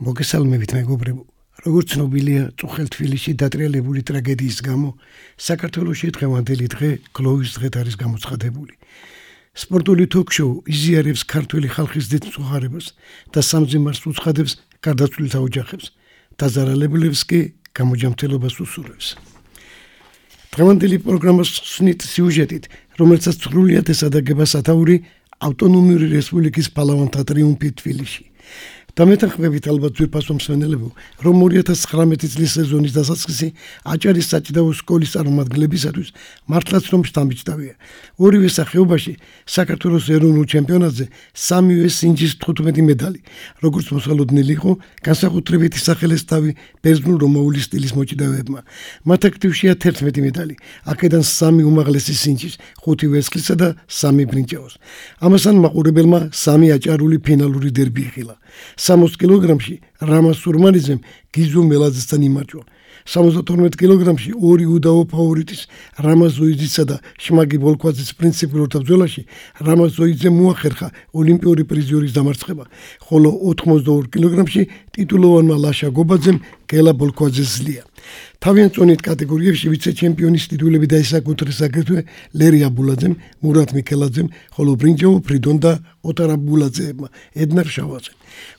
მოგესალმებით მეგობრებო. როგორც ცნობილია, წუხელ თბილისში დატრიალებული ტრაგედიის გამო საქართველოში დღევანდელი დღე გლოვის დღედ არის გამოცხადებული. სპორტული თოქ-შოუ იზიარებს ქართველი ხალხის დიდ მსახურებას და სამძიმარს უცხადებს გარდაცვლილთა ოჯახებს, დაზარალებულებს კი გამოჯანმრთელობას უსურვებს. დღევანდელი პროგრამის ხსნით სიუჟეტით, რომელსაც სრულიად ესადაგება სათაური ავტონომიური რესპუბლიკის პალავანთა ტრიუმფი თბილისში. დამეთანხმებით ალბათ ძვირფასო მსმენელებო, რომ 2019 წლის სეზონის დასაწყისი აჭარის საჭიდაო სკოლის წარმომადგენლებისათვის მართლაც რომ შთამბეჭდავია. ორივე სახეობაში საქართველოს ეროვნულ ჩემპიონატზე სამივე სინჯის 15 მედალი, როგორც მოსალოდნელი იყო, განსაკუთრებით ისახელეს თავი ბერძნულ-რომაული სტილის მოჭიდავეებმა. მათ აქტივშია 11 მედალი, აქედან 3 უმაღლესი სინჯის, 5 ვერცხლისა და 3 ბრინჯაოს. ამასთან მაყურებელმა 3 აჭარული ფინალური დერბი იხილა. 60 კილოგრამში რამაზ სურმანიძემ გიზო მელაძესთან იმარჯვა. 72 კილოგრამში ორი უდაო ფავორიტის რამაზ ზოიძისა და შმაგი ბოლქვაძის პრინციპულთა ბრძოლაში რამაზ ზოიძემ მოახერხა ოლიმპიური პრიზიორის დამარცხება, ხოლო 82 კილოგრამში ტიტულოვანმა ლაშა გობაძემ გელა ბოლქვაძეს ზლია. თავიანთ წონით კატეგორიებში ვიცე-ჩემპიონის ტიტულები დაისაკუთრეს აგრეთვე ლერი აბულაძემ, მურატ მიქელაძემ, ხოლო ბრინჯაო ფრიდონ და ოტარ აბულაძეებმა, ედნარ შავაძემ.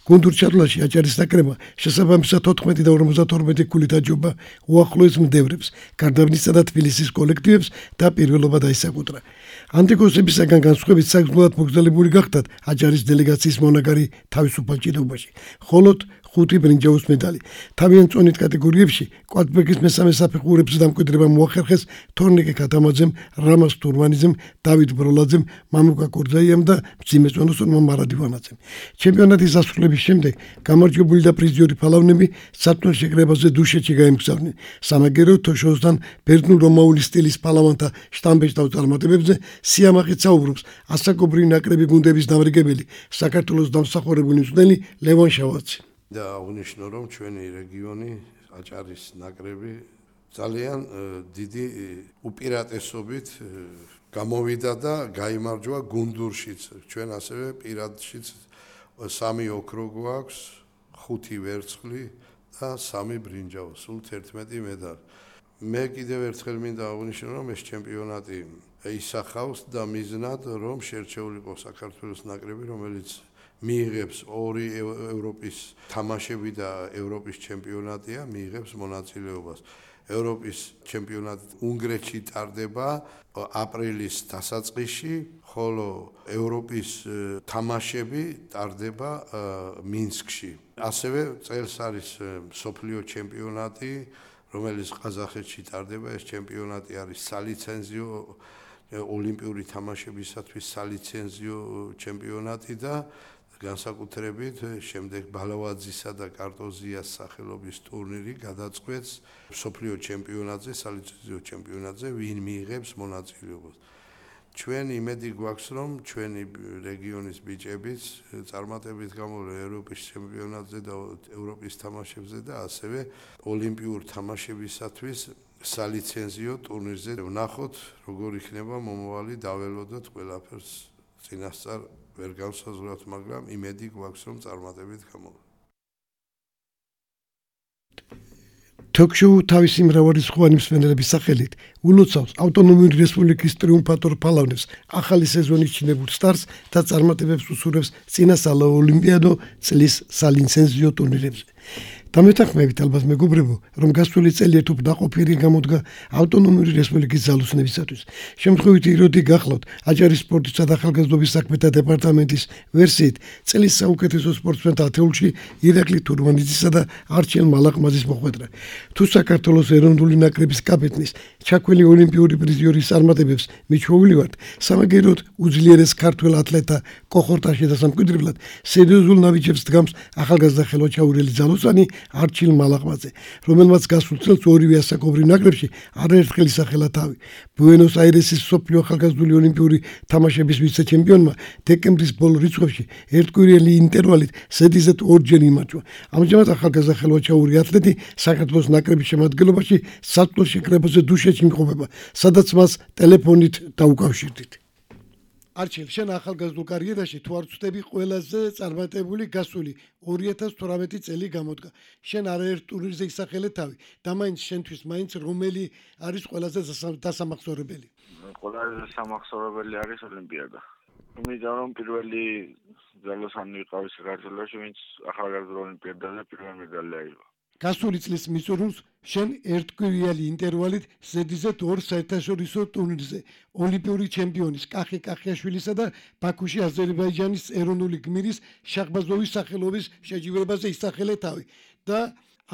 გუნდურ ჩათვლაში აჭარის ნაკრებმა შესაბამისად 14 და 52 ქულით აჯობა უახლოეს მდევრებს, გარდაბნისა და თბილისის კოლექტივებს და პირველობა დაისაკუთრა. ანტიკოსებისაგან განსხვავებით საგრძნულად მოგზაურებული გახდათ აჭარის დელეგაციის მონაგარი თავისუფალ ჭიდაობაში, ხოლო 5 ბრინჯაოს მედალი. თავიანთ წონით კატეგორიებში კვადრბეგის მესამე საფეხურებზე დამკვიდრება მოახერხეს თორნიკე ქათამაძემ, რამაზ თურმანიძემ, დავით ბროლაძემ, მამუკა კორძაიამ და მძიმე წონოსონმა მარადივანაძემ. ჩემპიონატის დასრულების შემდეგ გამარჯვებული და პრიზიორი ფალავნები სათნო შეკრებაზე დუშეთში გაემგზავრნენ. სამაგერო თოშოსთან ბერძნულ-რომაული სტილის ფალავანთა შტამბეჭდავ წარმატებებზე სიამაყით საუბრობს ასაკობრივი ნაკრები გუნდების დამრიგებელი საქართველოს დამსახურებული მწვრთნელი ლევან შავაძე. და აღნიშნო, რომ ჩვენი რეგიონი აჭარის ნაკრები ძალიან დიდი უპირატესობით გამოვიდა და გაიმარჯვა გუნდურშიც. ჩვენ ასევე პირადშიც 3 ოქრო გვაქვს, 5 ვერცხლი და 3 ბრინჯაო, სულ 11 მედალი. მე კიდევ ერთხელ მინდა აღნიშნო, რომ ეს ჩემპიონატი ისახავს და მიზნად, რომ შერჩეული იყოს საქართველოს ნაკრები, რომელიც მიიღებს 2 ევროპის თამაშები და ევროპის ჩემპიონატია, მიიღებს მონაწილეობას. ევროპის ჩემპიონატი უნგრეთში ტარდება აპრილის დასაწყისში, ხოლო ევროპის თამაშები ტარდება მინსკში. ასევე წელს არის მსოფლიო ჩემპიონატი, რომელიც ყაზახეთში ტარდება. ეს ჩემპიონატი არის სალიცენზიო ოლიმპიური თამაშებისათვის სალიცენზიო ჩემპიონატი და განსაკუთრებით შემდეგ ბალავაძისა და კარტოზიას სახელობის ტურნირი გადაწყვეტს მსოფლიო ჩემპიონატზე, სალიცენზიო ჩემპიონატზე, ვინ მიიღებს მონაწილეობას. ჩვენ იმედი გვაქვს, რომ ჩვენი რეგიონის ბიჭებიც წარმატებით გამოვიდნენ ევროპის ჩემპიონატზე და ევროპის თამაშებზე და ასევე ოლიმპიურ თამაშებისათვის სალიცენზიო ტურნირზე. ვნახოთ, როგორ იქნება მომავალი, დაველოდოთ ყველაფერს წინასწარ ვერ გავსაზღვრავთ, მაგრამ იმედი გვაქვს, რომ წარმატებით გამოვიდეს. თოქ-შოუ თავისი მრავალრიცხოვანი მსმენელების სახელით ულოცავს ავტონომიური რესპუბლიკის ტრიუმფატორ ფალავნებს, ახალი სეზონის ჩინებულ სტარტს და წარმატებებს უსურვებს წინასწარ ოლიმპიადო წლის სალიცენზიო ტურნირებზე. დამეთანხმებით ალბათ მეგობრებო, რომ გასული წელი ერთ დაყოფილი გამოდგა ავტონომიური რესპუბლიკის ძალოსნებისათვის. შემთხვევითი იროდი გახლავთ აჭარის სპორტისა და ახალგაზრდობის საქმეთა დეპარტამენტის ვერსიით წლის საუკეთესო სპორტსმენთა ათეულში ირაკლი თურმანიძისა და არჩილ მალაყმაძის მოხვედრა. თუ საქართველოს ეროვნული ნაკრების კაპიტნის ჩაქველი ოლიმპიური პრიზიორის წარმატებებს მიჩვეულივართ, სამაგეროდ უძლიერეს ქართველ ათლეტთა კოხორტაში და სამკვიდრებლად სერიოზულ ნაბიჯებს დგამს ახალგაზრდა ხელვაჩაურელი ძალოსანი არჩილ მალაყმაძე, რომელმაც გასულ წელს ორივე ასაკობრივ ნაკრებში არაერთხელ ისახელა თავი. ბუენოს აირესის მსოფლიო ახალგაზრდული ოლიმპიური თამაშების ვიცე-ჩემპიონმა დეკემბრის ბოლო რიცხვებში ერთკვირიანი ინტერვალით სედიზეთ 2-ჯერ იმარჯვა. ამჟამად ახალგაზრდა ხელვაჩაური ათლეტი საქართველოს ნაკრების შემადგენლობაში სათნო შეკრებაზე დუშეთში იმყოფება, სადაც მას ტელეფონით დაუკავშირდით. არჩილ, შენ ახალგაზრდულ კარიერაში თუ არ ვწდები ყველაზე წარმატებული გასული 2018 წელი გამოდგა. შენ არაერთ ტურნირზე ისახელე თავი და მაინც შენთვის მაინც რომელი არის ყველაზე დასამახსოვრებელი? ყველაზე დასამახსოვრებელი არის ოლიმპიადა. იმიტომ რომ პირველი ძალოსანი ვიყავი საქართველოში, ვინც ახალგაზრდა ოლიმპიადაზე პირველი მედალი აიღო. გასული წლის მიწურულს შენ ერთკვირიანი ინტერვალით ზედიზეთ 2 საერთაშორისო ტურნირზე ოლიმპიური ჩემპიონის კახი კახიაშვილისა და ბაქოში აზერბაიჯანის ეროვნული გმირის შაჰბაზოვის სახელობის შეჯიბრებაზე ისახელე თავი და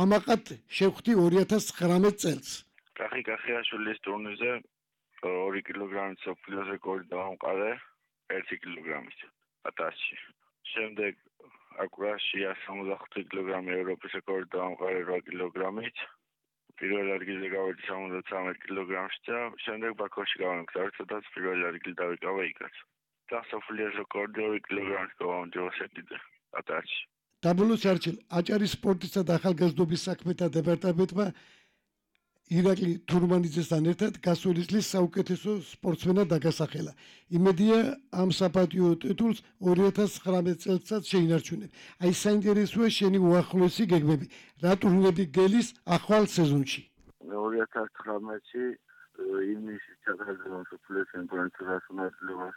ამაყად შევხვდი 2019 წელს. კახი კახიაშვილის ტურნირზე 2 კილოგრამის სოფლიოს რეკორდი დავამყარე 1 კილოგრამის 1000-ში. შემდეგ აკურაში 165 კილოგრამი ევროპის რეკორდი დავამყარე 8 კილოგრამით. პირველ ადგილზე გავედი 73 კილოგრამში და შემდეგ ბაქოში გავამგზავრე, სადაც პირველი ადგილი დავიკავა იქაც. და სოფლიოს რეკორდი 2 კილოგრამით გავამჯობა სეტიზე 1000-ში. დაბოლოს არჩილ, აჭარის სპორტისა და ახალგაზრდობის საქმეთა დეპარტამენტმა ირაკლი თურმანიძესთან ერთად გასული წლის საუკეთესო სპორტსმენად დაგასახელა. იმედია ამ საპატიო ტიტულს 2019 წელსაც შეინარჩუნებ. აი საინტერესოა შენი უახლოესი გეგმები. რა ტურნირები გელის ახალ სეზონში? 2019-ში ივნისში ჩატარდება სოფლიოს ჩემპიონატის მონაწილეობას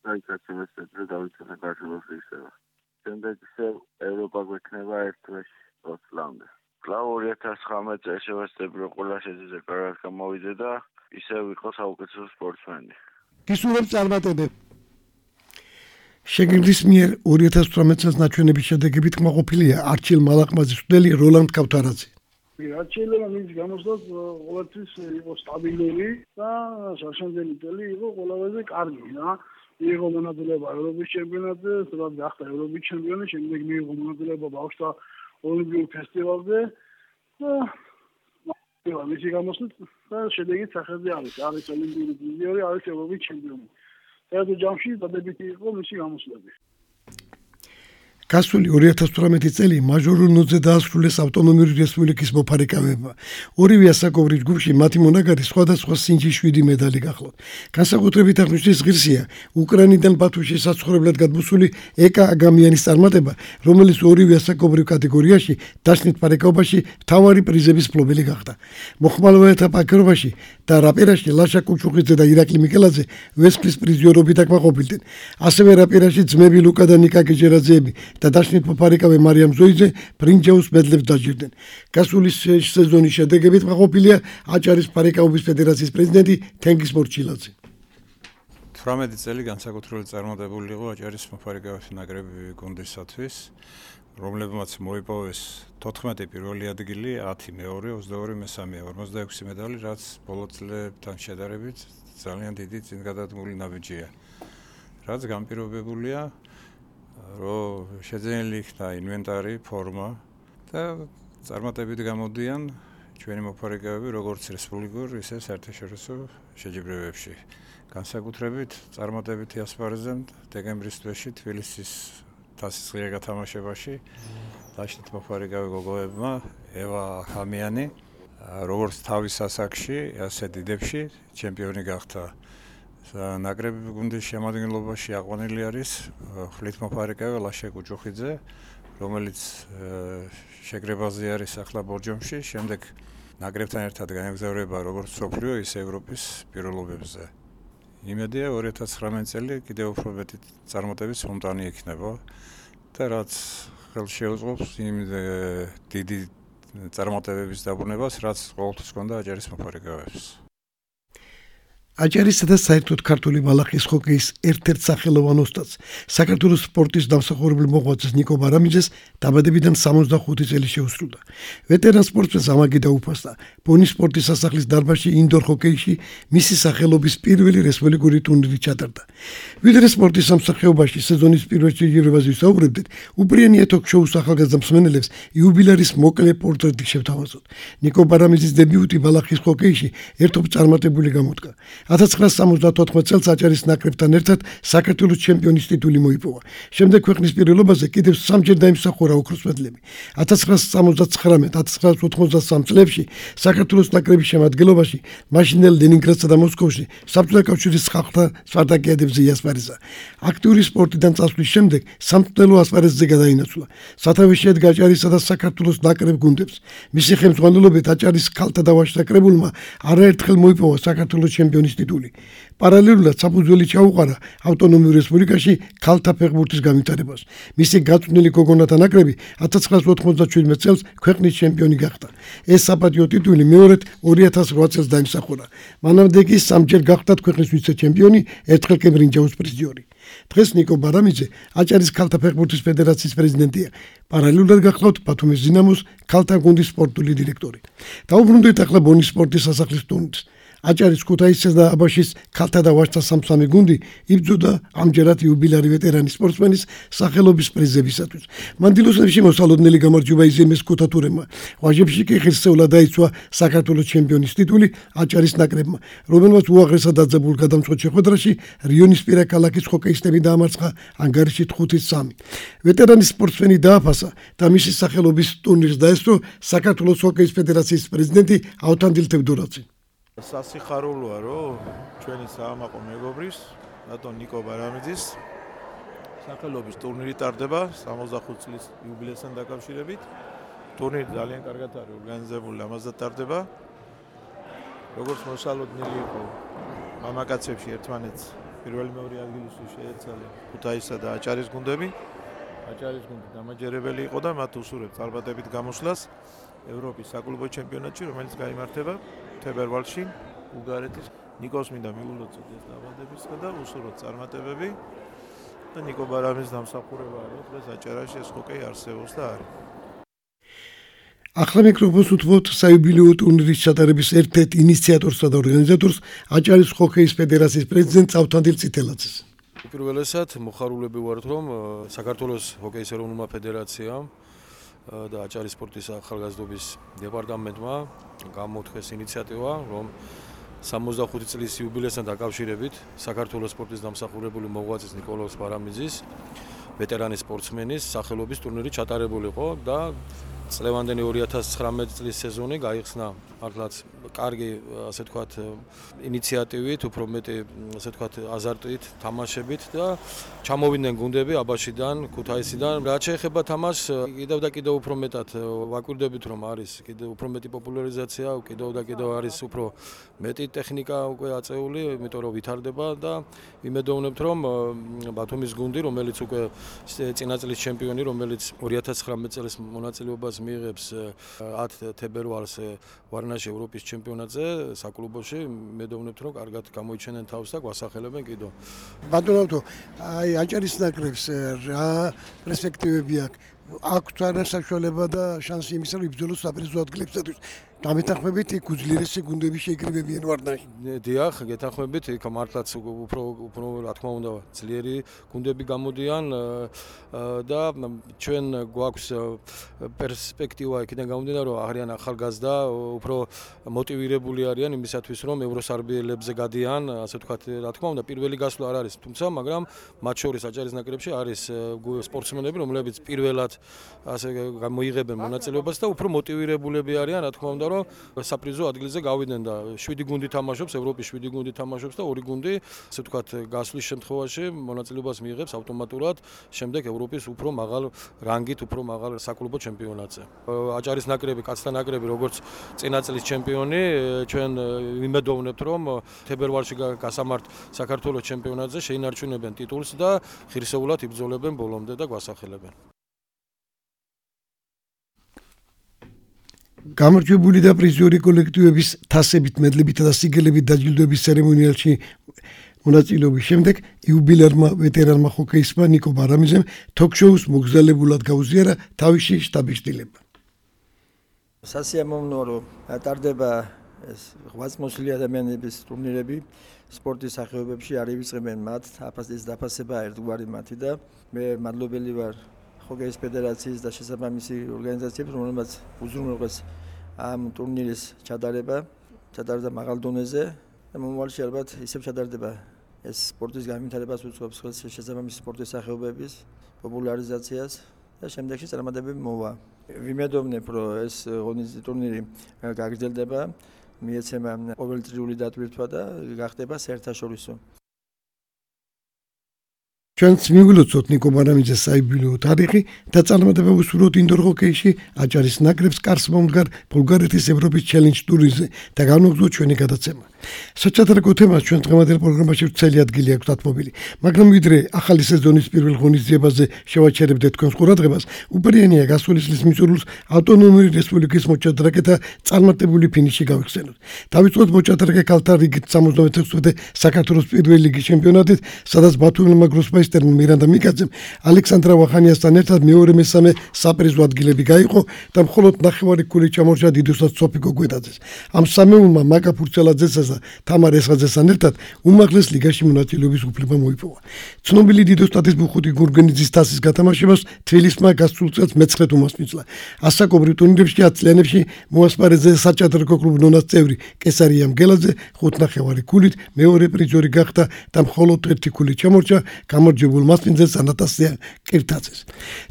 და იქაც შემეცნებდა დავიცვალე საქართველოს ისევა. შემდეგ ისე ევროპა გვექნება ერთ თვეში 20 წლამდე. კვლავ 2019 წელს შევეცდები რომ ყველა შეძეზე კარგად გამოვიდე და ისევ ვიყო საუკეთესო სპორტსმენი. გისურვებ წარმატებები. შეგირდის მიერ 2018 წელს ნაჩვენების შედეგებით კმაყოფილია არჩილ მალაყმაძის მცდელი როლანდ კავთარაძე. არჩილმა მის გამოსვლას ყოველთვის იყო სტაბილური და შარშანდელი წელი იყო ყველაზე კარგი რა. მიიღო მონაწილეობა ევროპის ჩემპიონატზე, სადაც გახდა ევროპის ჩემპიონი, შემდეგ მიიღო მონაწილეობა ბავშვთა ოლიმპიურ ფესტივალზე და მისი გამოსვლით და შედეგით სახელზე არის ოლიმპიური პრიზიორი, არის ევროპის ჩემპიონი. საერთო ჯამში დადებითი იყო მისი გამოსვლები. გასული 2018 წელი მაჟორულ ნოთზე დაასრულეს ავტონომიური რესპუბლიკის მოფარიკავებმა. ორივე ასაკობრივ ჯგუფში მათი მონაგარი სხვადასხვა სინჯის 7 медали გახლავთ. განსაკუთრებით აღნიშნვის ღირსია უკრაინიდან ბათუმში საცხოვრებლად გადმოსული ეკა აგამიანის წარმატება, რომელიც ორივე ასაკობრივ კატეგორიაში დაშნით ფარიკაობაში მთავარი პრიზების მფლობელი გახდა. მოხმალოვანთა პაკრობაში და რაპერაში ლაშა კუჩუხიძე და ირაკლი მიკელაძე ვესპრის პრიზიორობით აკმაყოფილდნენ. ასევე რაპერაში ძმები ლუკა და ნიკა გეჯერაძეები და დაშნით მოფარიკავე მარიამ ზოიძე ბრინჯაოს მედლებს დაჯილდნენ. გასული სეზონის შედეგებით კმაყოფილია აჭარის ფარიკაობის ფედერაციის პრეზიდენტი თენგიზ მორჩილაძე. 18 წელი განსაკუთრებული წარმატებული იყო აჭარის მოფარიკავების ნაკრები გუნდისათვის, რომლებმაც მოიპოვეს 14 პირველი ადგილი, 10 მეორე, 22 მესამე, 46 მედალი, რაც ბოლო წლებთან შედარებით ძალიან დიდი წინგადადგმული ნაბიჯია. რაც განპირობებულია რომ შეძენილი იქნა ინვენტარი, ფორმა და წარმატებით გამოდიან ჩვენი მოფარიკავები როგორც რესპუბლიკურ, ისე საერთაშორისო შეჯიბრებებში. განსაკუთრებით წარმატებითი ასპარეზენ დეკემბრის თვეში თბილისის თასის ღია გათამაშებაში დაშნით მოფარიკავე გოგოებმა ევა ხამიანი როგორც თავის ასაკში, ასე დიდებში ჩემპიონი გახდა. ნაკრები გუნდის შემადგენლობაში აყვანილი არის ხლით მოფარიკავე ლაშა კუჩუხიძე, რომელიც შეგრებაზე არის ახლა ბორჯომში, შემდეგ ნაკრებთან ერთად განეგზავრება როგორც სოფლიო, ისე ევროპის პირველობებზე. იმედია 2019 წელი კიდევ უფრო მეტი წარმატების მომტანი იქნება და რაც ხელს შეუწყობს იმ დიდი წარმატებების დაბრუნებას, რაც ყოველთვის ჰქონდა აჭარის მოფარიკავებს. აჭარისა და საერთოდ ქართული ბალახის ჰოკეის ერთ-ერთ სახელოვან ოსტატს, საქართველოს სპორტის დამსახურებელ მოღვაწეს ნიკო ბარამიძეს დაბადებიდან 65 წელი შეუსრულდა. ვეტერან სპორტსმენს ამაგი დაუფასდა ბონის სპორტის სასახლის დარბაზში ინდორ ჰოკეიში მისი სახელობის პირველი რესპუბლიკური ტურნირი ჩატარდა. ვიდრე სპორტის სამსახიობაში სეზონის პირველ შეჯიბრებაზე ვისაუბრებდით, უპრიანია თოქ-შოუს ახალგაზრდა მსმენელებს იუბილეარის მოკლე პორტრეტი შევთავაზოთ. ნიკო ბარამიძის დებიუტი ბალახის ჰოკეიში ერთობ წარმატებული გამოდგა. 1974 წელს აჭარის ნაკრებთან ერთად საქართველოს ჩემპიონის ტიტული მოიპოვა. შემდეგ ქვეყნის პირველობაზე კიდევ 3-ჯერ დაიმსახურა ოქროს მედლები. 1979-1983 წლებში საქართველოს ნაკრების შემადგენლობაში მაშინდელ ლენინგრადსა და მოსკოვში საბჭოთა კავშირის ხალხთა სპარტაკიადებზე იასპარეზა. აქტიური სპორტიდან წასვლის შემდეგ სამწვრთნელო ასპარეზზე გადაინაცვლა. სათავეში ედგა აჭარისა და საქართველოს ნაკრებ გუნდებს. მისი ხელმძღვანელობით აჭარის ქალთა და ვაჟთა კრებულმა არაერთხელ მოიპოვა საქართველოს ჩემპიონის ტიტული. პარალელურად საფუძველი ჩაუყარა ავტონომიურ რესპუბლიკაში ქალთა ფეხბურთის განვითარებას. მისი გაწვრთნილი გოგონათა ნაკრები 1997 წელს ქვეყნის ჩემპიონი გახდა. ეს საპატიო ტიტული მეორედ 2008 წელს დაიმსახურა. მანამდე კი 3-ჯერ გახდათ ქვეყნის ვიცე-ჩემპიონი, ერთხელ კი ბრინჯაოს პრიზიორი. დღეს ნიკო ბარამიძე აჭარის ქალთა ფეხბურთის ფედერაციის პრეზიდენტია. პარალელურად გახლავთ ბათუმის დინამოს ქალთა გუნდის სპორტული დირექტორი. დაუბრუნდით ახლა ბონის სპორტის სასახლის ტურნირს. აჭარის ქუთაისის და აბაშის ქალთა და ვაჟთა სამსამი გუნდი იბრძოდა ამჯერად იუბილარი ვეტერანი სპორტსმენის სახელობის პრიზებისათვის. მანდილოსებში მოსალოდნელი გამარჯვება იზიემეს ქუთათურებმა. ვაჟებში კი ღირსეულად დაიცვა საქართველოს ჩემპიონის ტიტული აჭარის ნაკრებმა, რომელმაც უაღრესად დაძაბულ გადამწყვეტ შეხვედრაში რიონისპირა ქალაქის ჰოკეისტები დაამარცხა ანგარიში 5-3. ვეტერანი სპორტსმენი დააფასა და მისი სახელობის ტურნირს დაესწრო საქართველოს ჰოკეის ფედერაციის პრეზიდენტი ავთანდილ თევდორაძე. სასიხარულოა, რომ ჩვენი საამაყო მეგობრის, ბატონ ნიკო ბარამიძის სახელობის ტურნირი ტარდება 65 წლის იუბილეასთან დაკავშირებით. ტურნირი ძალიან კარგად არის ორგანიზებული, ამასთან ტარდება. როგორც მოსალოდნელი იყო მამაკაცებში ერთმანეთს პირველი მეორე ადგილისთვის შეეცალნენ ქუთაისსა და აჭარის გუნდები. აჭარის გუნდი დამაჯერებელი იყო და მათ უსურვებს წარმატებით გამოსვლას ევროპის საკლუბო ჩემპიონატში, რომელიც გაიმართება თებერვალში ბულგარეთის. ნიკოს მინდა მიულოცოთ ეს დაბადებისგა და უსურვოთ წარმატებები და ნიკო ბარამიძის დამსახურება არის დღეს აჭარაში ეს ჰოკეი არსებობს და არის. ახლა მიკროფონს უთმობთ საიუბილეო ტურნირის ჩატარების ერთ-ერთ ინიციატორსა და ორგანიზატორს აჭარის ჰოკეის ფედერაციის პრეზიდენტს ავთანდილ წითელაძეს. პირველესად მოხარულები ვართ, რომ საქართველოს ჰოკეის ეროვნულმა ფედერაციამ და აჭარის სპორტის ახალგაზრდობის დეპარტამენტმა გამოთქვეს ინიციატივა, რომ 65 წლის იუბილეასთან დაკავშირებით საქართველოს სპორტის დამსახურებული მოღვაწის ნიკოლოზ ბარამიძის ვეტერანი სპორტსმენის სახელობის ტურნირი ჩატარებულიყო და წლევანდელი 2019 წლის სეზონი გაიხსნა მართლაც კარგი, ასე ვთქვათ, ინიციატივით, უფრო მეტი, ასე ვთქვათ, აზარტით, თამაშებით და ჩამოვიდნენ გუნდები აბაშიდან, ქუთაისიდან. რაც შეეხება თამაშს, კიდევ და კიდევ უფრო მეტად ვაკვირდებით, რომ არის კიდევ უფრო მეტი პოპულარიზაცია, კიდევ და კიდევ არის უფრო მეტი ტექნიკა უკვე აწეული, იმიტომ რომ ვითარდება და იმედოვნებთ, რომ ბათუმის გუნდი, რომელიც უკვე წინა წლის ჩემპიონი, რომელიც 2019 წლის მონაწილეობას მიიღებს 10 თებერვალს ვარნაში ევროპის ჩემპიონატზე საკლუბოში, მედოვნებთ, რომ კარგად გამოიჩენენ თავს და გვასახელებენ კიდო. ბატონო, აი აჭარის ნაკრებს რა პერსპექტივები აქვს არა საშუალება და შანსი იმისა, რომ იბრძოლოს საპრიზო ადგილებსათვის. დამეთანხმებით იქ უძლიერესი გუნდები შეიკრიბებიან ვარნაში. დიახ, გეთანხმებით, იქ მართლაც უფრო რა თქმა უნდა ძლიერი გუნდები გამოდიან და ჩვენ გვაქვს პერსპექტივა იქიდან გამომდინარე, რომ არიან ახალგაზრდა, უფრო მოტივირებული არიან იმისათვის, რომ ევროსარბიელებზე გადიან, ასე ვთქვათ, რა თქმა უნდა, პირველი გასვლა არ არის, თუმცა, მაგრამ მათ შორის აჭარის ნაკრებში არის სპორტსმენები, რომლებიც პირველად ასე მოიღებენ მონაწილეობას და უფრო მოტივირებულები არიან, რა თქმა უნდა, რომ საპრიზო ადგილზე გავიდნენ და 7 გუნდი თამაშობს, ევროპის 7 გუნდი თამაშობს და 2 გუნდი, ასე ვთქვათ, გასვლის შემთხვევაში მონაწილეობას მიიღებს ავტომატურად შემდეგ ევროპის უფრო მაღალ რანგით, უფრო მაღალ საკლუბო ჩემპიონატზე. აჭარის ნაკრები, კაცთა ნაკრები, როგორც წინა წლის ჩემპიონი, ჩვენ იმედოვნებთ, რომ თებერვალში გასამართ საქართველოს ჩემპიონატზე შეინარჩუნებენ ტიტულს და ღირსეულად იბრძოლებენ ბოლომდე და გვასახელებენ. გამარჯვებული და პრიზიორი კოლექტივების თასებით, მედლებით და სიგელებით დაჯილდოების ცერემონიალში მონაწილეობის შემდეგ იუბილერმა ვეტერანმა ჰოკეისტმა ნიკო ბარამიძემ თოქ-შოუს მოგზაურობულად გაუზიარა თავისი შტაბის-შტილება. სასიამოვნოა, რომ ტარდება ეს ღვაწლმოსილი ადამიანების ტურნირები სპორტის სახეობებში, არ ივიწყებენ მათ აფასის დაფასება ერთგვარი მათი და მე მადლობელი ვარ ჰოკეის ფედერაციის და შესაბამისი ორგანიზაციებს, რომელმაც უზრუნველყეს ამ ტურნირის ჩატარება მაღალ დონეზე და მომავალში ალბათ ისევ ჩადარდება ეს სპორტის განვითარებას უწყობს ხელს შესაბამისი სპორტის სახეობების პოპულარიზაციას და შემდეგში წარმატებები მოვა. ვიმედოვნებ, რომ ეს ღონისძიების ტურნირი გაგრძელდება, მიეცემა ყოველწლიური დატვირთვა და გახდება საერთაშორისო. ჩვენც მივილოცოთ ნიკო ბარამიძეს საიუბილეო თარიღი და წარმატება უსურვოთ ინდორ ჰოკეიში აჭარის ნაკრებს კარს მომდგარ ბულგარეთის ევროპის ჩელენჯ ტურნირზე და განვაგრძოთ ჩვენი გადაცემა. საჭადრაკო თემას ჩვენ დღევანდელ პროგრამაში ვრცელი ადგილი აქვს დათმობილი, მაგრამ ვიდრე ახალი სეზონის პირველ ღონისძიებაზე შევაჩერებდეთ თქვენს ყურადღებას, უპირიანეა გასული წლის მიწურულს ავტონომიური რესპუბლიკის მოჭადრაკეთა წარმატებული ფინიში გავიხსენოთ. დავიწყოთ მოჭადრაკე ქალთა რიგით 76-ე საქართველოს პირველი ლიგის ჩემპიონატით, სადაც ბათუმელმა გროსმაისტერმა მირანდა მიკაძემ ალექსანდრა ვახანიასთან ერთად მეორე-მესამე საპრიზო ადგილები გაიყო და მხოლოდ ნახევარი ქულით ჩამორჩა დიდოსად სოფიკო გვედაძეს. ამ სამეულმა მაკა ფურცელაძესა და თამარ ესხაძესთან ერთად უმაღლეს ლიგაში მონაწილეობის უფლება მოიპოვა. ცნობილი დიდოსტატის ბუხუთი გურგენიძის თასის გათამაშებას თბილისმა გასულ წელს მეცხრედ უმასპინძლა. ასაკობრივ ტურნირებში 10 წლიანებში მოასპარეზე საჭადრაკო კლუბ ნონას წევრი კესარია მგელაძე 5.5 ქულით მეორე პრიზორი გახდა და მხოლოდ 1 ქულით ჩამორჩა გამარჯვებულ მასპინძელს ანატასია კირთაძეს.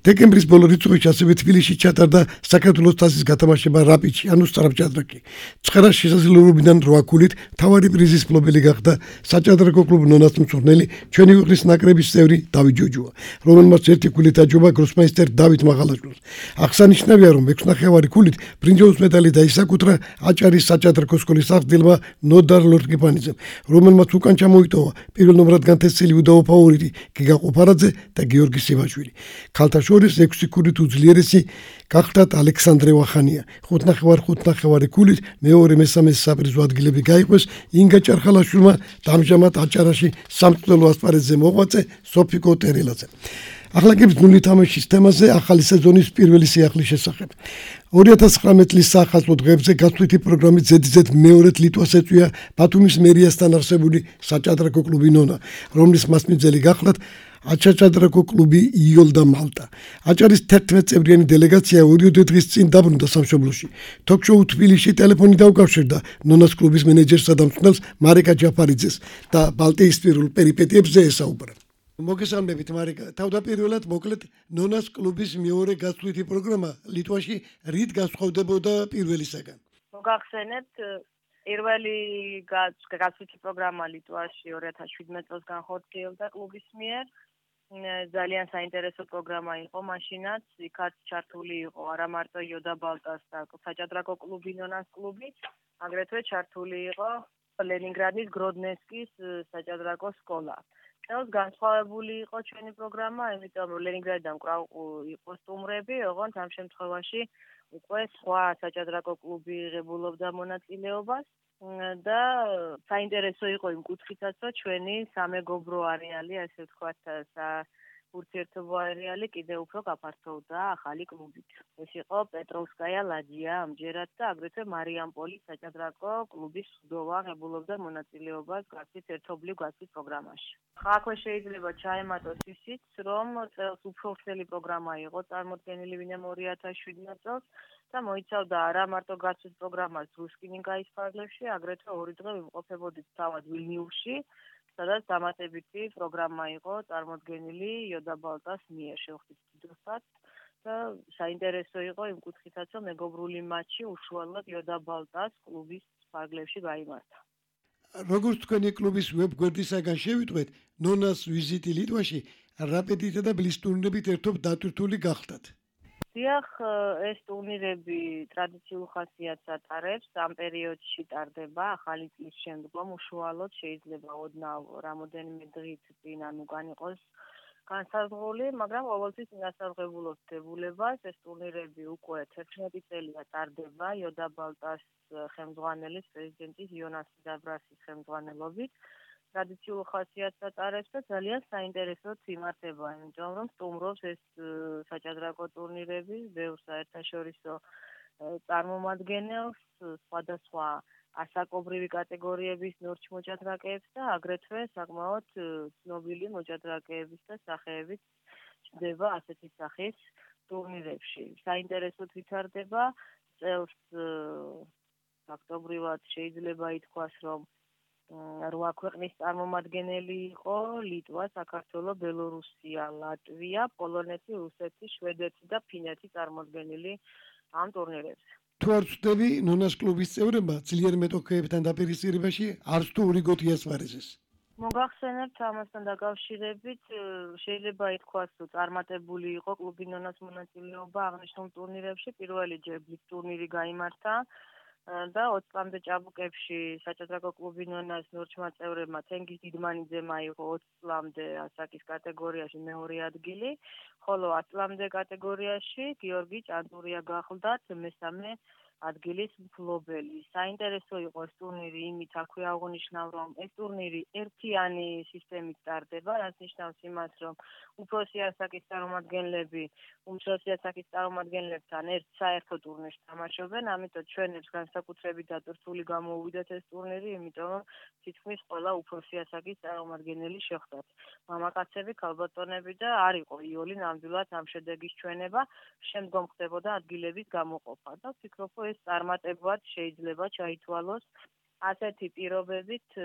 დეკემბრის ბოლო რიცხვებში ასევე თბილისში ჩატარდა საქართველოს თასის გათამაშება რაპიდში, ანუ სწრაფჭადრაკი. 9 შესაძლებლობიდან 8 ქულით თავარი პრიზის მფლობელი გახდა საჭადრაკო კლუბ ნონას მწვრთნელი ჩვენი ქვეყნის ნაკრების წევრი დავით ჯოჯოა, რომელმაც 1 ქულით აჯობა გროსმაისტერ დავით მაღალაშვილი. აღსანიშნავია, რომ 6.5 ქულით ბრინჯაოს медаლი დაისაკუთრა აჭარის საჭადრაკო სკოლის აღზრდილმა ნოდარ ლორტკიპანიძემ, რომელმაც უკან ჩამოიტოვა პირველ ნომრად განთესილი უდავო ფავორიტი გიგა ყופარაძე და გიორგი სივაშვილი. ქალთა შორის 6 ქულით უძლიერესი გახდათ ალექსანდრე ვახანია. 5.5 ქულით მეორე-მესამე საპრიზო ადგილები გაიყვეს ინგა ჭარხალაშვილმა და ამჟამად აჭარაში სამწვრთნელო ასპარეზზე მოღვაწე სოფიკო ტერელაძე. ახლა კი ბრძნული თამაშის თემაზე ახალი სეზონის პირველი სიახლის შესახებ. 2019 წლის საახალწლო დღეებზე გასვლითი პროგრამით ზედიზედ მეორედ ლიტვას ეწვია ბათუმის მერიასთან არსებული საჭადრაკო კლუბი ნონა, რომლის მასპინძელი გახლავთ აჭაჭადრაკო კლუბი იოლდა მალტა. აჭარის 11 წევრიანი დელეგაცია 2 დღის წინ დაბრუნდა სამშობლოში. თოქ-შოუ თბილისში ტელეფონი დაუკავშირდა ნონას კლუბის მენეჯერსა და მწვრთნელს მარიკა ჯაფარიძეს და ბალტიისპირულ პერიპეტიებზე ესაუბრა. მოგესალმებით მარიკა, თავდაპირველად მოკლედ ნონას კლუბის მეორე გასვლითი პროგრამა ლიტვაში რით გასხვავდებოდა პირველისაგან? მოგახსენებთ, პირველი გასვლითი პროგრამა ლიტვაში 2017 წელს განხორციელდა კლუბის მიერ. ძალიან საინტერესო პროგრამა იყო მაშინაც, იქაც ჩართული იყო არა მარტო იოდა ბალტას და საჭადრაკო კლუბი ნონას კლუბი, აგრეთვე ჩართული იყო ლენინგრადის გროდნესკის საჭადრაკო სკოლა. წელს განსხვავებული იყო ჩვენი პროგრამა, იმიტომ რომ ლენინგრადიდან კვლავ იყო სტუმრები, ოღონდ ამ შემთხვევაში უკვე სხვა საჭადრაკო კლუბი იღებულობდა მონაწილეობას და საინტერესო იყო იმ კუთხითაც, რომ ჩვენი სამეგობრო არეალი, ასე ვთქვათ, ურთიერთობო არეალი კიდევ უფრო გაფართოვდა ახალი კლუბით. ეს იყო პეტროვსკაია ლაჯია ამჯერად და აგრეთვე მარიამპოლის საჭადრაკო კლუბის სუდოვა ღებულობდა მონაწილეობას გასვით ერთობლივ გასვით პროგრამაში. აქვე შეიძლება ჩაემატოს ისიც, რომ წელს უფრო ვრცელი პროგრამა იყო წარმოდგენილი ვინმე 2017 წელს და მოიცავდა არა მარტო გასვით პროგრამას რუსკინინკაის ფარგლებში, აგრეთვე 2 დღე ვიმყოფებოდით თავად ვილნიუსში, სადაც დამატებითი პროგრამა იყო წარმოდგენილი იოდა ბალტას მიერ შევხვდით დიდოსად და საინტერესო იყო იმ კუთხითაც, რომ მეგობრული მატჩი უშუალოდ იოდა ბალტას კლუბის ფარგლებში გაიმართა. როგორც თქვენი კლუბის ვებგვერდისაგან შევიტყვეთ, ნონას ვიზიტი ლიტვაში რაპიდითა და ბლის ტურნირებით ერთობ დატვირთული გახდათ. დიახ, ეს ტურნირები ტრადიციულ ხასიათს ატარებს, ამ პერიოდში ტარდება ახალი წლის შემდგომ, უშუალოდ შეიძლება ოდნავ რამოდენიმე დღით წინ ან უკან იყოს განსაზღვრული, მაგრამ ყოველთვის ინასარღებულობთ დებულებას, ეს ტურნირები უკვე 11 წელია ტარდება იოდა ბალტას ხელმძღვანელის პრეზიდენტის იონას დაბრასის ხელმძღვანელობით. ტრადიციულ ხასიათს ატარებს და ძალიან საინტერესოდ იმართება, იმიტომ რომ სტუმრობს ეს საჭადრაკო ტურნირები ბევრ საერთაშორისო წარმომადგენელს, სხვადასხვა ასაკობრივი კატეგორიების ნორჩ მოჭადრაკეებს და აგრეთვე საკმაოდ ცნობილი მოჭადრაკეების და სახეებით ჩნდება ასეთი სახის ტურნირებში. საინტერესოდ ვითარდება წელს ფაქტობრივად შეიძლება ითქვას, რომ 8 ქვეყნის წარმომადგენელი იყო: ლიტვა, საქართველო, ბელორუსია, ლატვია, პოლონეთი, რუსეთი, შვედეთი და ფინეთი წარმოდგენილი ამ ტურნირებზე. თუ არ ვწდები, ნონას კლუბის წევრებმა ძლიერ მეტოქეებთან დაპირისპირებაში არც თუ რიგოთ იასპარეზეს. მოგახსენებთ ამასთან დაკავშირებით, შეიძლება ითქვას, რომ წარმატებული იყო კლუბი ნონას მონაწილეობა აღნიშნულ ტურნირებში. პირველი ჯერ ბლიკ ტურნირი გაიმართა და 20 წლამდე ჭაბუკებში საჭადრაკო კლუბი ნონას ნორჩმა წევრებმა თენგიზ დიდმანიძემ აიღო 20 წლამდე ასაკის კატეგორიაში მეორე ადგილი, ხოლო 10 წლამდე კატეგორიაში გიორგი ჭანტურია გახლდათ მესამე ადგილის მფლობელი. საინტერესო იყო ეს ტურნირი იმით, აქვე აღნიშნავ, რომ ეს ტურნირი ერთიანი სისტემით ტარდება, რაც ნიშნავს იმას, რომ უფროსი ასაკის წარმომადგენლები უმცროსი ასაკის წარმომადგენლებთან ერთ საერთო ტურნირს თამაშობენ, ამიტომ ჩვენებს განსაკუთრებით დატვირთული გამოუვიდათ ეს ტურნირი, იმიტომ რომ თითქმის ყველა უფროსი ასაკის წარმომადგენელი შეხვდათ. მამაკაცები, ქალბატონები და არ იყო იოლი ნამდვილად ამ შედეგის ჩვენება, შემდგომ ხდებოდა ადგილების გამოყოფა და ვფიქრობ, ეს წარმატებად შეიძლება ჩაითვალოს ასეთი პირობებით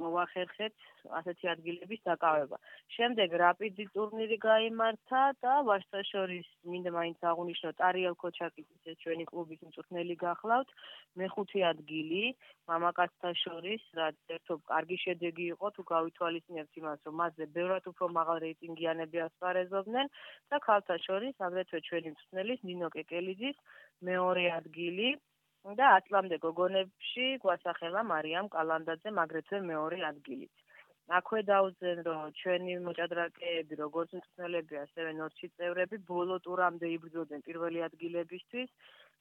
მოვახერხეთ ასეთი ადგილების დაკავება. შემდეგ რაპიდი ტურნირი გაიმართა და ვაჟთა-შორის მინდა მაინც აღვნიშნოთ არიელ ქოჩაკიძის ეს ჩვენი კლუბის მწვრთნელი გახლავთ, მეხუთე ადგილი მამაკაცთა შორის, რაც ერთობ კარგი შედეგი იყო თუ გავითვალისწინებთ იმას, რომ მასზე ბევრად უფრო მაღალ რეიტინგიანები ასპარეზობდნენ და ქალთა შორის აგრეთვე ჩვენი მწვრთნელის ნინო კეკელიძის მეორე ადგილი და 10 წლამდე გოგონებში გვასახელა მარიამ კალანდაძემ აგრეთვე მეორე ადგილით. აქვე დავუძენ, რომ ჩვენი მოჭადრაკეები, როგორც მწვრთნელები, ასევე ნორჩი წევრები ბოლო ტურამდე იბრძოდნენ პირველი ადგილებისთვის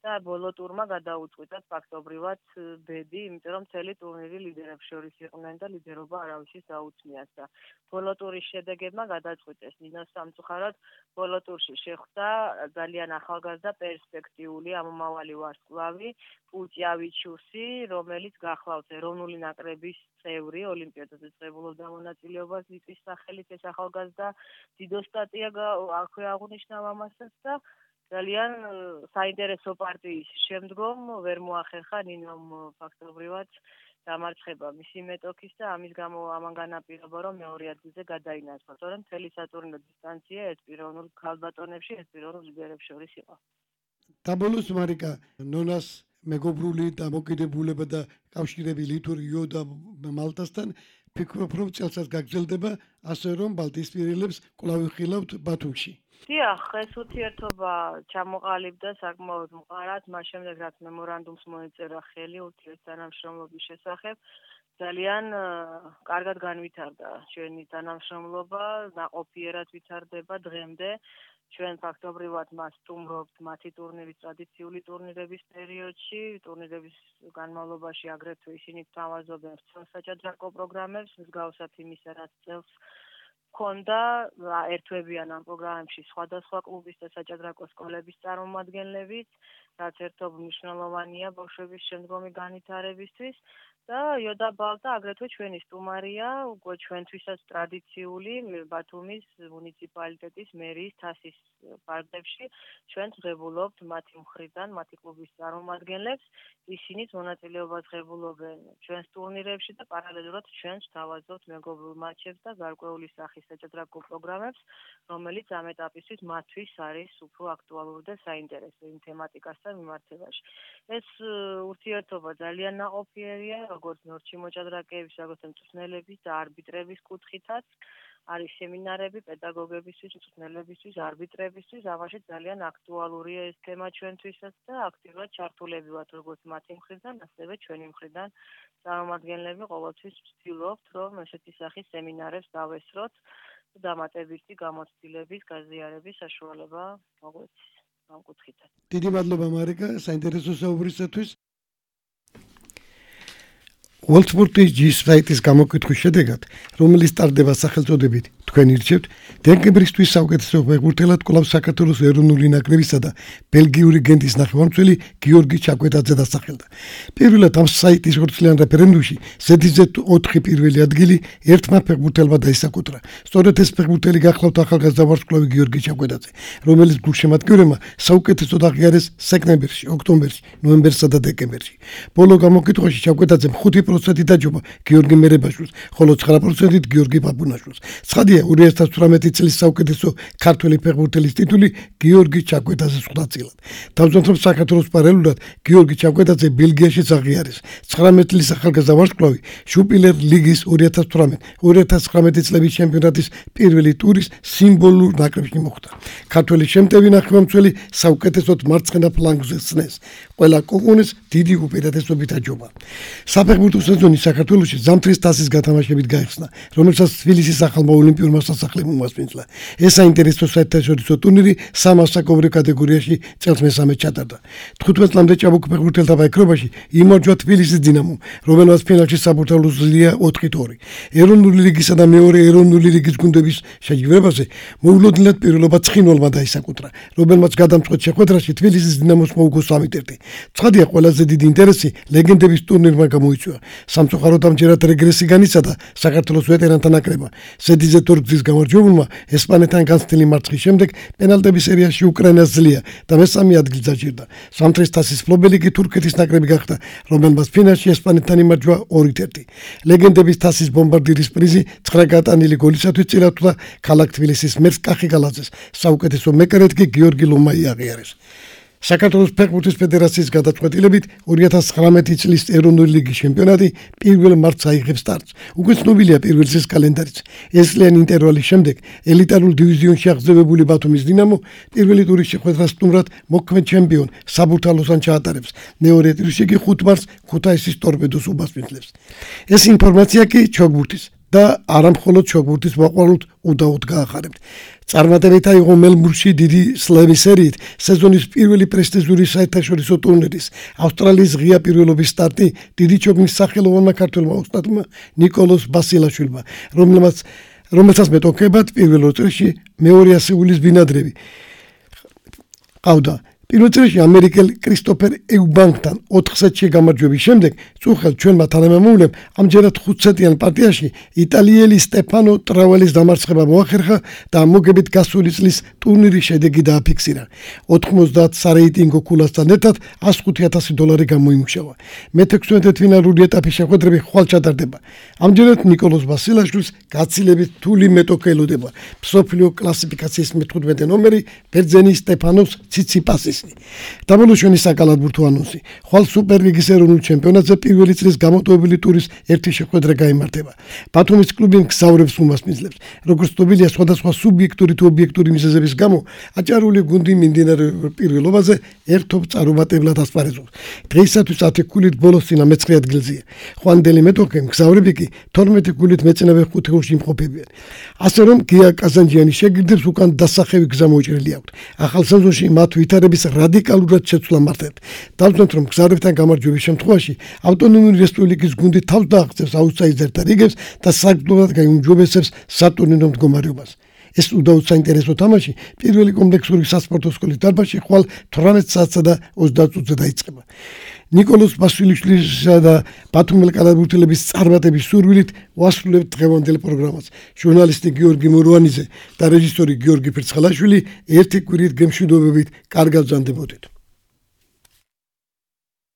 და ბოლო ტურმა გადაუწყვიტათ ფაქტობრივად ბედი, იმიტომ რომ მთელი ტურნირი ლიდერებს შორის იყვნენ და ლიდერობა არავისის დაუწმიათ და ბოლო ტურის შედეგებმა გადაწყვიტეს ნინოს სამწუხაროდ ბოლო ტურში შეხვდა ძალიან ახალგაზრდა პერსპექტიული ამომავალი ვარსკვლავი პუჭიავიჩუსი, რომელიც გახლავთ ეროვნული ნაკრების წევრი, ოლიმპიადაზე წრებულობდა მონაწილეობას ლიტვის სახელით ეს ახალგაზრდა დიდო სტატია აქვე აღნიშნავ ამასაც და ძალიან საინტერესო პარტიის შემდგომ ვერ მოახერხა ნინომ ფაქტობრივად დამარცხება მისი მეტოქის და ამის გამო ამან განაპირობა, რომ მეორე ადგილზე გადაინაცვლა, თორემ მთელი სატურნირო დისტანცია ეს პიროვნულ ქალბატონებში, ეს პიროვნულ ლიდერებს შორის იყო. დაბოლოს მარიკა, ნონას მეგობრული დამოკიდებულება და კავშირები ლითურიო და მალტასთან ფიქრობ, რომ წელსაც გაგრძელდება, ასე რომ ბალტიისპირელებს კვლავ ვიხილავთ ბათუმში. დიახ, ეს ურთიერთობა ჩამოყალიბდა საკმაოდ მყარად, მას შემდეგ რაც მემორანდუმს მოეწერა ხელი ურთიერთთანამშრომლობის შესახებ, ძალიან კარგად განვითარდა ჩვენი თანამშრომლობა, ნაყოფიერად ვითარდება დღემდე. ჩვენ ფაქტობრივად მას სტუმრობთ მათი ტურნირის ტრადიციული ტურნირების პერიოდში, ტურნირების განმავლობაში აგრეთვე ისინი თავაზობენ საჭადრაკო პროგრამებს, მსგავსად იმისა, რაც წელს ჰქონდა, ერთვებიან ამ პროგრამებში სხვადასხვა კლუბის და საჭადრაკო სკოლების წარმომადგენლებით, რაც ერთობ მნიშვნელოვანია ბავშვების შემდგომი განვითარებისთვის. და იოდა ბალტა აგრეთვე ჩვენი სტუმარია, უკვე ჩვენთვისაც ტრადიციული ბათუმის მუნიციპალიტეტის მერიის თასის პარკებში ჩვენც ღებულობთ მათი მხრიდან, მათი კლუბის წარმომადგენლებს, ისინიც მონაწილეობას ღებულობენ ჩვენს ტურნირებში და პარალელურად ჩვენც თავაზობთ მეგობრულ მატჩებს და გარკვეული სახის საჭადრაკო პროგრამებს, რომელიც ამ ეტაპისთვის მათთვის არის უფრო აქტუალური და საინტერესო იმ თემატიკასთან მიმართებაში. ეს ურთიერთობა ძალიან ნაყოფიერია, როგორც ნორჩი მოჭადრაკეების, როგორც მწვრთნელების და არბიტრების კუთხითაც. არის სემინარები პედაგოგებისთვის, მწვრთნელებისთვის, არბიტრებისთვის, ამაში ძალიან აქტუალურია ეს თემა ჩვენთვისაც და აქტიურად ჩართულები ვართ როგორც მათი მხრიდან, ასევე ჩვენი მხრიდან წარმომადგენლები ყოველთვის ვცდილობთ, რომ ესეთი სახის სემინარებს დავესწროთ და დამატებითი გამოცდილების, გაზიარების საშუალება მოგვეცეს ამ კუთხითაც. დიდი მადლობა მარიკა, საინტერესო საუბრისათვის. Worldsport-ის G საიტის გამოკითხვის შედეგად, რომელიც ტარდება სახელწოდებით თქვენ ირჩევთ, დეკემბრისთვის საუკეთესო ფეხბურთელად კვლავ საქართველოს ეროვნული ნაკრებისა და ბელგიური გენტის ნახევარმცველი გიორგი ჩაკვეტაძე დასახელდა. პირველად ამ საიტის ხორცლიან რეფერენდუმში Z4 პირველი ადგილი ერთმა ფეხბურთელმა დაისაკუთრა. სწორედ ეს ფეხბურთელი გახლავთ ახალგაზრდა ვარსკვლავი გიორგი ჩაკვეტაძე, რომელიც გულშემატკივრებმა საუკეთესოდ აღიარეს სექტემბერში, ოქტომბერში, ნოემბერსა და დეკემბერში. ბოლო გამოკითხვაში ჩაკვეტაძემ 5% 19% დაჯობა გიორგი მერებაშვილს, ხოლო 9% გიორგი პაპუნაშვილს. ცხადია, 2018 წლის საუკეთესო ქართველი ფეხბურთელის ტიტული გიორგი ჩაკვეტაძე ხვდაწილად. თავზონთრობ საქართველოს პარალელურად გიორგი ჩაკვეტაძე ბელგიაში აღიარეს. 19 წლის ახალგაზრდა ვარსკვლავი შუპილერ ლიგის 2018-2019 წლების ჩემპიონატის პირველი ტურის სიმბოლურ ნაკრებში მოხვდა. ქართველი შემტევი ნახევარმცველი საუკეთესოდ მარცხენა ფლანგზე ხსნეს. ყველა კოკონეს დიდი უპირატესობით აჯობა. საფეხბურთო სეზონი საქართველოში ზამთრის თასის გათამაშებით გაიხსნა, რომელსაც თბილისის ახალმა ოლიმპიურმა სასახლემ უმასპინძლა. ეს საინტერესო საერთაშორისო ტურნირი სამ ასაკობრივ კატეგორიაში წელს მესამე ჩატარდა. 15 წლამდე ჭაბუკ ფეხბურთელთა ბაიქრობაში იმარჯვა თბილისის დინამომ, რომელმაც ფინალში საბურთალო ზრდია 4-2. ეროვნული ლიგისა და მეორე ეროვნული ლიგის გუნდების შეჯიბრებაზე მოულოდნელად პირველობა ცხინვალმა დაისაკუთრა, რომელმაც გადამწყვეტ შეხვედრაში თბილისის დინამოს მოუგო 3-1. ცხადია, ყველაზე დიდი ინტერესი ლეგენდების ტურნირმა გამოიწვია. სამწუხაროდ ამჯერად რეგრესი განიცადა საქართველოს ვეტერანთა ნაკრებმა. ზედიზე თორგზის გამარჯვებულმა ესპანეთთან განცდილი მარცხის შემდეგ პენალტების სერიაში უკრაინას ძლია და მესამე ადგილს დაჭირდა. ზამთრის თასის მფლობელი კი თურქეთის ნაკრები გახდა, რომელმაც ფინალში ესპანეთთან იმარჯვა 2-1. ლეგენდების თასის ბომბარდირის პრიზი 9 გატანილი გოლისათვის წილათვლა ქალაქ თბილისის მერს კახი გალაძეს, საუკეთესო მეკარედ კი გიორგი ლომაი აღიარეს. საქართველოს ფეხბურთის ფედერაციის გადაწყვეტილებით 2019 წლის ეროვნული ლიგის ჩემპიონატი 1 მარტს აიღებს სტარტს. უკვე ცნობილია პირველი წლის კალენდარიც. ესლიანი ინტერვალის შემდეგ ელიტარულ დივიზიონში აღზევებული ბათუმის დინამო პირველი ტურის შეხვედრას სტუმრად მოქმედ ჩემპიონ საბურთალოსთან ჩაატარებს. მეორე ტურში კი 5 მარტს ქუთაისის ტორპედოს უმასპინძლებს. ეს ინფორმაცია კი ჩოგბურთის და არამხოლოდ ჩოგბურთის მოყვარულთ უდაოდ გაახარებთ. წარმატებით აიღო მელბურნში დიდი სლემის სერიით სეზონის პირველი პრესტიჟური საერთაშორისო ტურნირის ავსტრალიის ღია პირველობის სტარტი დიდი ჩოგნის სახელოვანმა ქართველმა ოსტატმა ნიკოლოზ ბასილაშვილმა, რომელსაც მეტოქებად პირველ წრეში მეორე ასეულის ბინადრები ყავდა. პირველ წრეში ამერიკელი კრისტოფერ ეუბანკთან 4 სეტში გამარჯვების შემდეგ წუხელ ჩვენმა თანამემამულემ ამჯერად 5 სეტიან პარტიაში იტალიელი სტეფანო ტრაველის დამარცხება მოახერხა და მოგებით გასული წლის ტურნირის შედეგი დააფიქსირა. 90 სარეიტინგო ქულასთან ერთად $105,000 გამოიმუშავა. მე-16 ფინალური ეტაპის შეხვედრები ხვალ ჩატარდება. ამჯერად ნიკოლოზ ბასილაშვილს გაცილებით რთული მეტოქე ელოდება. მსოფლიო კლასიფიკაციის მე-15 ნომერი ბერძენი სტეფანოს ციციპასის. დაბოლოშვენი საკალათბურთო ანონსი. ხვალ სუპერლიგის ეროვნულ ჩემპიონატზე პირველი წლის გამოტოვებული ტურის ერთი შეხვედრა გაიმართება. ბათუმის კლუბი გზავრებს უმასპინძლებს. როგორც ცნობილია, სხვადასხვა სუბიექტური თუ ობიექტური მიზეზების გამო აჭარული გუნდი მიმდინარე პირველობაზე ერთობ წარუმატებლად ასპარეზობს. დღეისათვის 10 ქულით ბოლოს წინა მე-9 ადგილზეა. ხვანდელი მეტოქე გზავრები კი 12 ქულით მეწინავე 5 გოლში იმყოფებიან. ასე რომ გია კაზანჯიანის შეგირდებს უკან დასახევი გზა მოჭრილი აქვთ. ახალ სეზონში მათ ვითარების რადიკალურად შეცვლა მართებთ. დავწუნოთ, რომ გზავრებთან გამარჯვების შემთხვევაში ავტონომიური რესპუბლიკის გუნდი თავს დააღწევს აუტსაიდერთა რიგებს და საგრძნობლად გაიმჯობესებს სატურნირო მდგომარეობას. ეს უდაოდ საინტერესო თამაში პირველი კომპლექსური სასპორტო სკოლის დარბაზში ხვალ 18 საათსა და 30 წუთზე დაიწყება. ნიკოლოზ ბასილიშვილისა და ბათუმელ კალათბურთელების წარმატების სურვილით ვასრულებთ დღევანდელ პროგრამას. ჟურნალისტი გიორგი მურვანიძე და რეჟისორი გიორგი ფერცხალაშვილი ერთი კვირით გემშვიდობებით კარგად ბრძანდებოდეთ.